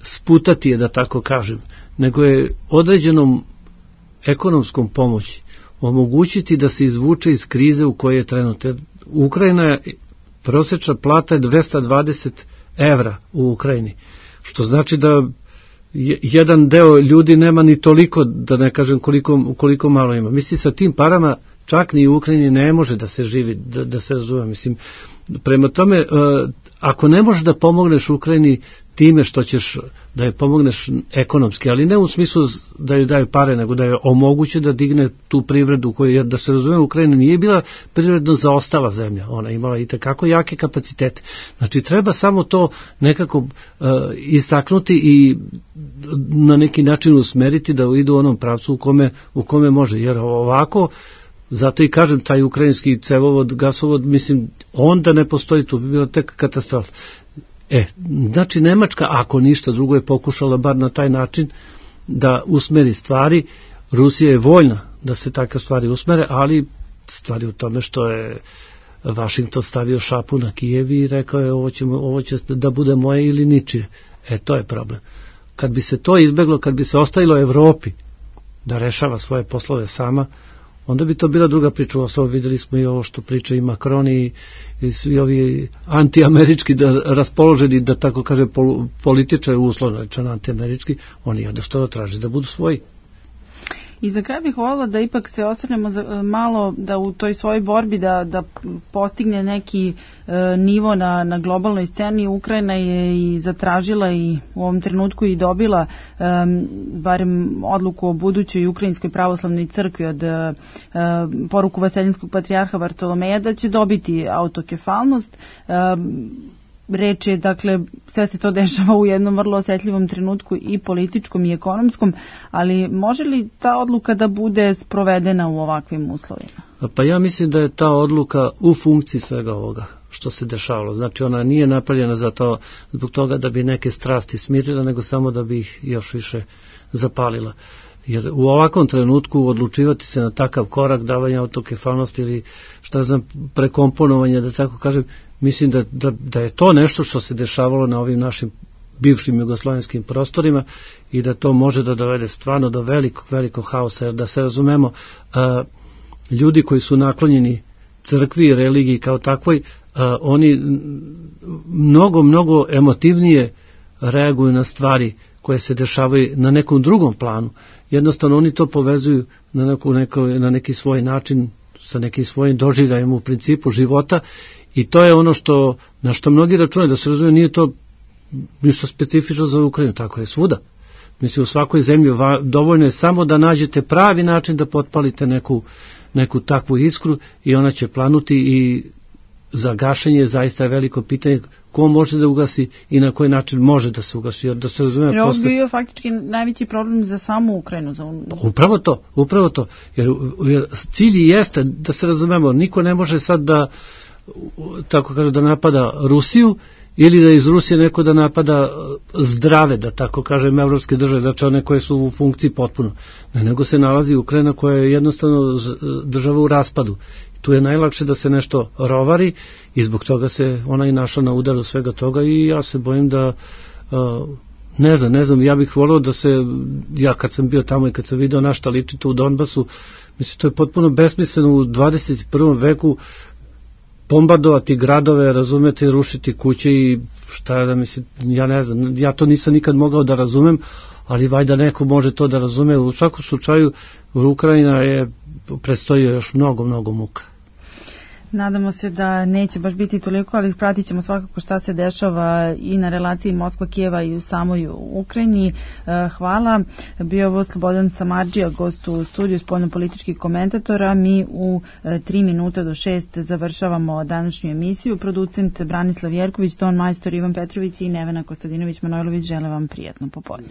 S5: sputati je, da tako kažem, nego je određenom ekonomskom pomoći omogućiti da se izvuče iz krize u kojoj je trenutno. Ukrajina je, prosječna plata je dvesta dvadeset evra u Ukrajini, što znači da jedan deo ljudi nema ni toliko, da ne kažem koliko, koliko malo ima. Mislim, sa tim parama čak ni u Ukrajini ne može da se živi, da, da se razume. Mislim, prema tome, ako ne možeš da pomogneš Ukrajini time što ćeš da je pomogneš ekonomski, ali ne u smislu da joj daju pare, nego da je omoguće da digne tu privredu, koju, jer da se razume, Ukrajina nije bila privredno zaostala zemlja, ona je imala i tekako jake kapacitete. Znači, treba samo to nekako uh, istaknuti i na neki način usmeriti da idu u onom pravcu u kome, u kome može, jer ovako, zato i kažem, taj ukrajinski cevovod, gasovod, mislim, onda ne postoji, tu bi bila tek katastrofa. E, znači Nemačka, ako ništa drugo, je pokušala bar na taj način da usmeri stvari. Rusija je voljna da se takve stvari usmere, ali stvari u tome što je Vašington stavio šapu na Kijev i rekao je ovo, ćemo, ovo će da bude moje ili ničije. E, to je problem. Kad bi se to izbeglo, kad bi se ostavilo Evropi da rešava svoje poslove sama, onda bi to bila druga priča. Ovo videli smo i ovo što priča i Macron i, i svi ovi antiamerički da, raspoloženi, da tako kaže, pol, političari, uslovno rečeno antiamerički, oni jednostavno traže da budu svoji.
S4: I za kraj bih voljela da ipak se osvrnemo za, malo da u toj svojoj borbi da, da postigne neki e, nivo na, na globalnoj sceni. Ukrajina je i zatražila i u ovom trenutku i dobila e, barem odluku o budućoj Ukrajinskoj pravoslavnoj crkvi od e, poruku Vaseljenskog patrijarha Vartolomeja da će dobiti autokefalnost. E, reč je, dakle, sve se to dešava u jednom vrlo osetljivom trenutku i političkom i ekonomskom, ali može li ta odluka da bude sprovedena u ovakvim uslovima?
S5: Pa ja mislim da je ta odluka u funkciji svega ovoga što se dešavalo. Znači ona nije napravljena za to, zbog toga da bi neke strasti smirila, nego samo da bi ih još više zapalila. Jer u ovakvom trenutku odlučivati se na takav korak davanja autokefalnosti ili šta znam prekomponovanja, da tako kažem, mislim da, da, da je to nešto što se dešavalo na ovim našim bivšim jugoslovenskim prostorima i da to može da dovede stvarno do velikog, velikog haosa, jer da se razumemo, a, ljudi koji su naklonjeni crkvi i religiji kao takvoj, a, oni mnogo, mnogo emotivnije reaguju na stvari koje se dešavaju na nekom drugom planu. Jednostavno oni to povezuju na, neku, neko, na neki svoj način, sa nekim svojim doživljajem u principu života i to je ono što, na što mnogi računaju, da se razumije, nije to ništa specifično za Ukrajinu, tako je svuda. Mislim, u svakoj zemlji dovoljno je samo da nađete pravi način da potpalite neku, neku takvu iskru i ona će planuti i za gašenje zaista je veliko pitanje ko može da ugasi i na koji način može da se ugasi. Jer da se razume,
S4: jer ovo
S5: posle...
S4: bio faktički najveći problem za samu Ukrajinu. Za...
S5: Upravo to, upravo to. Jer, jer cilj jeste, da se razumemo, niko ne može sad da, tako kaže, da napada Rusiju ili da iz Rusije neko da napada zdrave, da tako kažem, evropske države, znači one koje su u funkciji potpuno. Ne, nego se nalazi Ukrajina koja je jednostavno država u raspadu. Tu je najlakše da se nešto rovari i zbog toga se ona i našla na udaru svega toga i ja se bojim da uh, ne znam, ne znam, ja bih volio da se, ja kad sam bio tamo i kad sam video na šta liči to u Donbasu, mislim, to je potpuno besmisleno u dvadeset prvom veku bombardovati gradove, razumete, rušiti kuće i šta je da mislim, ja ne znam, ja to nisam nikad mogao da razumem, ali valjda neko može to da razume. U svakom slučaju Ukrajina je predstoji još mnogo, mnogo muka.
S4: Nadamo se da neće baš biti toliko, ali pratit ćemo svakako šta se dešava i na relaciji Moskva-Kijeva i u samoj Ukrajini. Hvala. Bio ovo Slobodan Samardžija, gost u studiju spoljnopolitičkih komentatora. Mi u tri minuta do šest završavamo današnju emisiju. Producent Branislav Jerković, ton majstor Ivan Petrović i Nevena Kostadinović Manojlović žele vam prijatno popodne.